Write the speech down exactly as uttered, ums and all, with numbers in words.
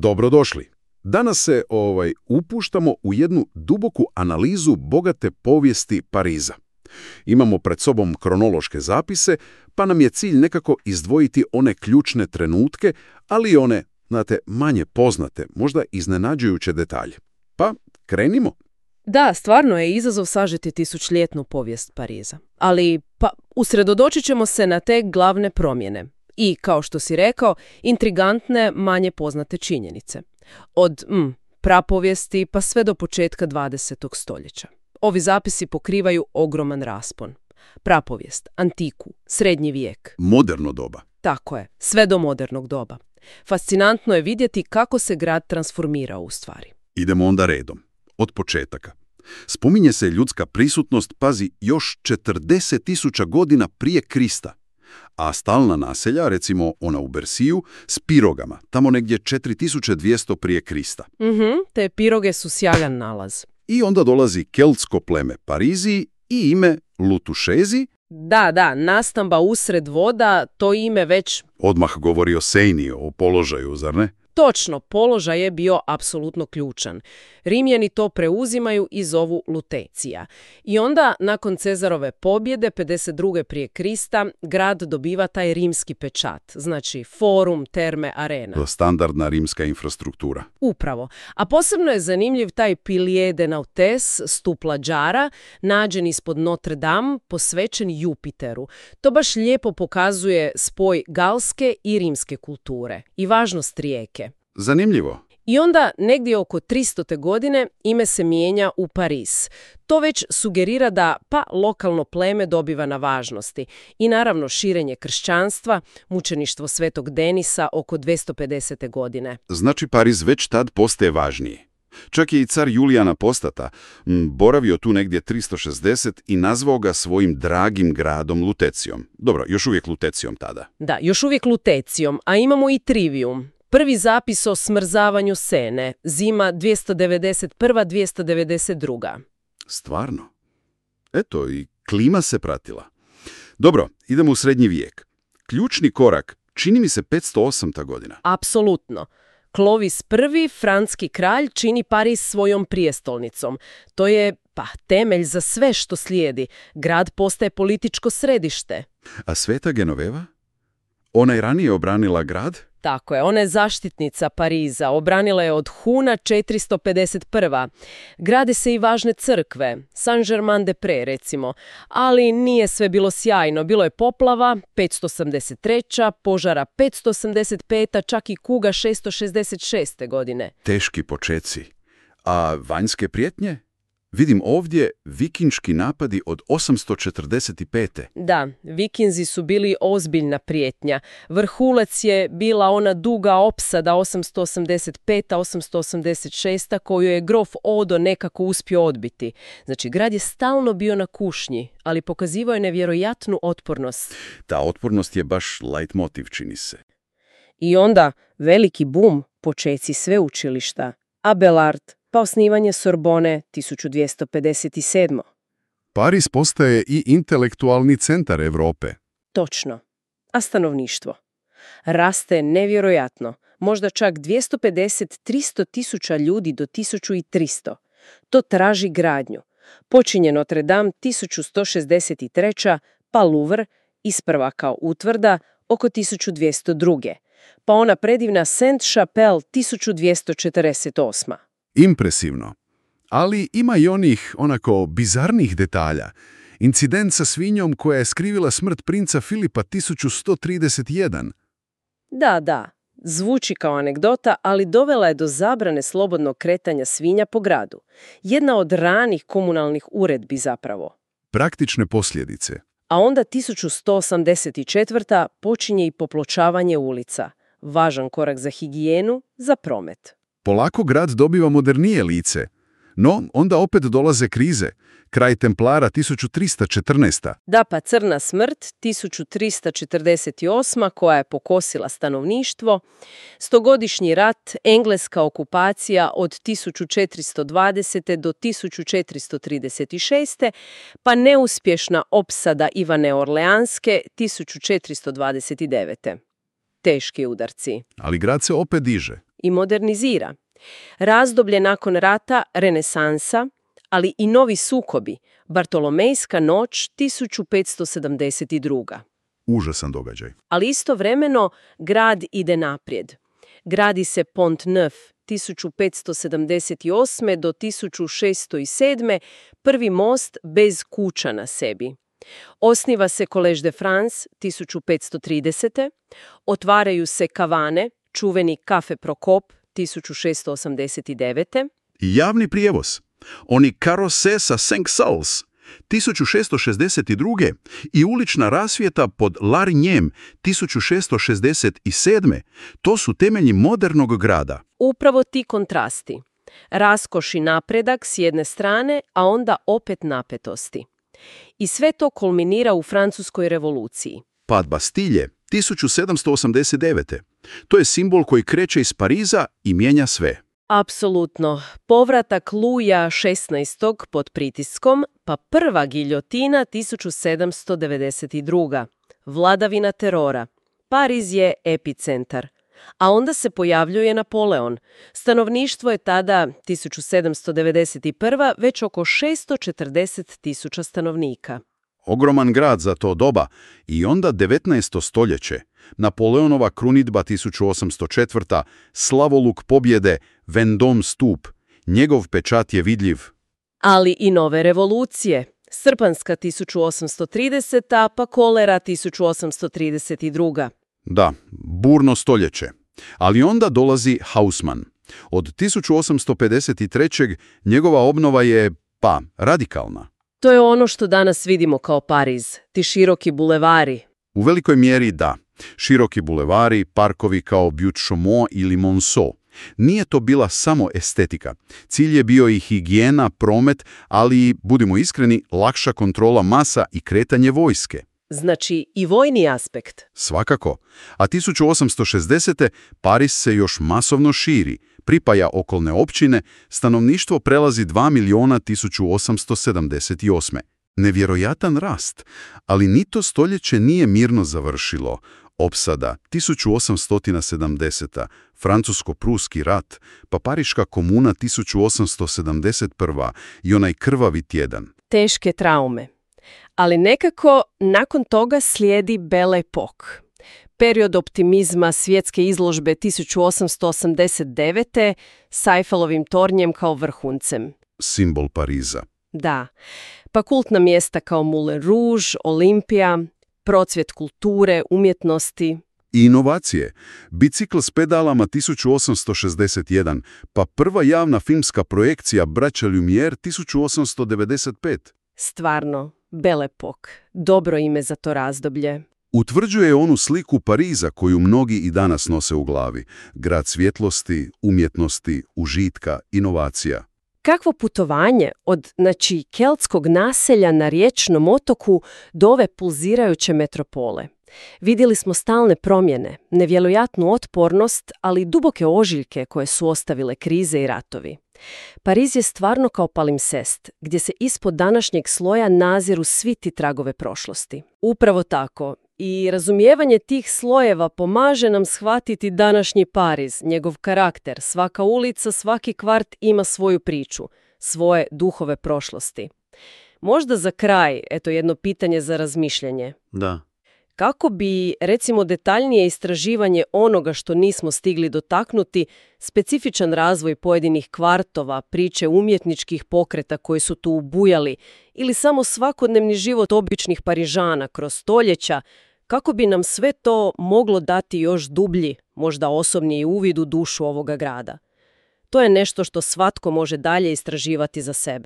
Dobrodošli. Danas se ovaj upuštamo u jednu duboku analizu bogate povijesti Pariza. Imamo pred sobom kronološke zapise, pa nam je cilj nekako izdvojiti one ključne trenutke, ali i one, znate, manje poznate, možda iznenađujuće detalje. Pa, krenimo. Da, stvarno je izazov sažeti tisućljetnu povijest Pariza. Ali, pa, usredotočit ćemo se na te glavne promjene. I, kao što si rekao, intrigantne, manje poznate činjenice. Od mm, prapovijesti pa sve do početka dvadesetog stoljeća. Ovi zapisi pokrivaju ogroman raspon. Prapovijest, antiku, srednji vijek. Moderno doba. Tako je, sve do modernog doba. Fascinantno je vidjeti kako se grad transformirao u stvari. Idemo onda redom. Od početaka. Spominje se ljudska prisutnost, pazi, još četrdeset tisuća godina prije Krista. A stalna naselja, recimo ona u Bersiju, s pirogama, tamo negdje četiri tisuće dvjesto prije Krista. Mhm, te piroge su sjajan nalaz. I onda dolazi keltsko pleme Pariziji i ime Lutušezi. Da, da, nastamba usred voda, to ime već... Odmah govori o Sejni, o položaju, zar ne? Točno, položaj je bio apsolutno ključan. Rimljani to preuzimaju i zovu Lutecija. I onda, nakon Cezarove pobjede, pedeset druge prije Krista, grad dobiva taj rimski pečat, znači forum, terme, arena. To standardna rimska infrastruktura. Upravo. A posebno je zanimljiv taj Pilier de Nautes, stup lađara, nađen ispod Notre Dame, posvećen Jupiteru. To baš lijepo pokazuje spoj galske i rimske kulture i važnost rijeke. Zanimljivo. I onda, negdje oko tristote godine, ime se mijenja u Pariz. To već sugerira da pa lokalno pleme dobiva na važnosti. I naravno širenje kršćanstva, mučeništvo Svetog Denisa oko dvjesto pedesete godine. Znači Pariz već tad postaje važniji. Čak je i car Julijan Apostata boravio tu negdje tristo šezdeset i nazvao ga svojim dragim gradom Lutecijom. Dobro, još uvijek Lutecijom tada. Da, još uvijek Lutecijom, a imamo i trivijum. Prvi zapis o smrzavanju Sene, zima dvjesto devedeset prva dvjesto devedeset druga. Stvarno? Eto, i klima se pratila. Dobro, idemo u srednji vijek. Ključni korak, čini mi se petsto osma godina. Apsolutno. Klovis prvi, franski kralj, čini Pariz svojom prijestolnicom. To je, pa, temelj za sve što slijedi. Grad postaje političko središte. A Sveta Genoveva? Ona je ranije obranila grad? Tako je, ona je zaštitnica Pariza, obranila je od Huna četiristo pedeset prva. Grade se i važne crkve, Saint-Germain-des-Prés recimo, ali nije sve bilo sjajno. Bilo je poplava, petsto osamdeset treća, požara petsto osamdeset peta, čak i kuga šesto šezdeset šeste godine. Teški počeci. A vanjske prijetnje? Vidim ovdje vikinški napadi od osamsto četrdeset pete. Da, vikinzi su bili ozbiljna prijetnja. Vrhulac je bila ona duga opsada osamsto osamdeset peta osamsto osamdeset šesta koju je grof Odo nekako uspio odbiti. Znači, grad je stalno bio na kušnji, ali pokazivao je nevjerojatnu otpornost. Ta otpornost je baš leitmotiv, čini se. I onda veliki bum, počeci sveučilišta, Abelard, pa osnivanje Sorbone tisuću dvjesto pedeset sedme. Pariz postaje i intelektualni centar Europe. Točno. A stanovništvo? Raste nevjerojatno, možda čak dvjesto pedeset do tristo tisuća ljudi do tisuću tristo. To traži gradnju. Počinje Notre Dame tisuću sto šezdeset treća, pa Louvre, isprva kao utvrda, oko tisuću dvjesto druge. Pa ona predivna Sainte-Chapelle tisuću dvjesto četrdeset osme. Impresivno. Ali ima i onih, onako, bizarnih detalja. Incident sa svinjom koja je skrivila smrt princa Filipa tisuću sto trideset jedan. Da, da. Zvuči kao anegdota, ali dovela je do zabrane slobodnog kretanja svinja po gradu. Jedna od ranih komunalnih uredbi zapravo. Praktične posljedice. A onda tisuću sto osamdeset četvrta počinje i popločavanje ulica. Važan korak za higijenu, za promet. Polako grad dobiva modernije lice. No, onda opet dolaze krize. Kraj Templara tisuću tristo četrnaesta. Da, pa crna smrt tisuću tristo četrdeset osma koja je pokosila stanovništvo. Stogodišnji rat, engleska okupacija od tisuću četiristo dvadesete do tisuću četiristo trideset šeste, pa neuspješna opsada Ivane Orleanske tisuću četiristo dvadeset devete. Teški udarci. Ali grad se opet diže. i modernizira. Razdoblje nakon rata, renesansa, ali i novi sukobi, Bartolomejska noć tisuću petsto sedamdeset druga. Užasan događaj. Ali istovremeno grad ide naprijed. Gradi se Pont Neuf tisuću petsto sedamdeset osme do tisuću šesto sedme, prvi most bez kuća na sebi. Osniva se Collège de France tisuću petsto tridesete. Otvaraju se kavane, čuveni Kafe Prokop tisuću šesto osamdeset devete. I javni prijevoz. Oni karose sa Cinq-Sals tisuću šesto šezdeset druge i ulična rasvjeta pod Larignem tisuću šesto šezdeset sedme. To su temelji modernog grada. Upravo ti kontrasti. Raskoš i napredak s jedne strane, a onda opet napetosti. I sve to kulminira u Francuskoj revoluciji. Pad Bastilje tisuću sedamsto osamdeset devete. To je simbol koji kreće iz Pariza i mijenja sve. Apsolutno. Povratak Luja šesnaestog pod pritiskom, pa prva giljotina tisuću sedamsto devedeset druga. Vladavina terora. Pariz je epicentar. A onda se pojavljuje Napoleon. Stanovništvo je tada, tisuću sedamsto devedeset prva, već oko šesto četrdeset tisuća stanovnika. Ogroman grad za to doba i onda devetnaesto stoljeće. Napoleonova krunidba tisuću osamsto četvrta. Slavoluk pobjede, Vendôme stup. Njegov pečat je vidljiv. Ali i nove revolucije. Srpanska tisuću osamsto trideseta. pa kolera tisuću osamsto trideset druga. Da, burno stoljeće. Ali onda dolazi Haussmann. Od tisuću osamsto pedeset treće. njegova obnova je, pa, radikalna. To je ono što danas vidimo kao Pariz, ti široki bulevari. U velikoj mjeri da. Široki bulevari, parkovi kao Butte-Chaumont ili Monceau. Nije to bila samo estetika. Cilj je bio i higijena, promet, ali, budimo iskreni, lakša kontrola masa i kretanje vojske. Znači i vojni aspekt. Svakako. A tisuću osamsto šezdesete. Pariz se još masovno širi, pripaja okolne općine, stanovništvo prelazi dva miliona tisuću osamsto sedamdeset osme. Nevjerojatan rast, ali ni to stoljeće nije mirno završilo. Opsada tisuću osamsto sedamdeseta. Francusko-pruski rat, pa Pariška komuna tisuću osamsto sedamdeset prva. i onaj krvavi tjedan. Teške traume. Ali nekako nakon toga slijedi Belle Époque. Period optimizma svjetske izložbe tisuću osamsto osamdeset devete. s Eiffelovim tornjem kao vrhuncem. Simbol Pariza. Da. Pa kultna mjesta kao Moulin Rouge, Olimpija, procvjet kulture, umjetnosti. I inovacije. Bicikl s pedalama tisuću osamsto šezdeset jedan, pa prva javna filmska projekcija Braća Lumière tisuću osamsto devedeset pete. Stvarno, Belle Époque. Dobro ime za to razdoblje. Utvrđuje onu sliku Pariza koju mnogi i danas nose u glavi. Grad svjetlosti, umjetnosti, užitka, inovacija. Kakvo putovanje od, znači, keltskog naselja na riječnom otoku do ove pulzirajuće metropole. Vidjeli smo stalne promjene, nevjerojatnu otpornost, ali i duboke ožiljke koje su ostavile krize i ratovi. Pariz je stvarno kao palimpsest, gdje se ispod današnjeg sloja naziru svi ti tragove prošlosti. Upravo tako. I razumijevanje tih slojeva pomaže nam shvatiti današnji Pariz, njegov karakter. Svaka ulica, svaki kvart ima svoju priču, svoje duhove prošlosti. Možda za kraj, eto jedno pitanje za razmišljanje. Da. Kako bi, recimo, detaljnije istraživanje onoga što nismo stigli dotaknuti, specifičan razvoj pojedinih kvartova, priče umjetničkih pokreta koji su tu ubujali ili samo svakodnevni život običnih Parižana kroz stoljeća, kako bi nam sve to moglo dati još dublji, možda osobniji uvid u dušu ovoga grada? To je nešto što svatko može dalje istraživati za sebe.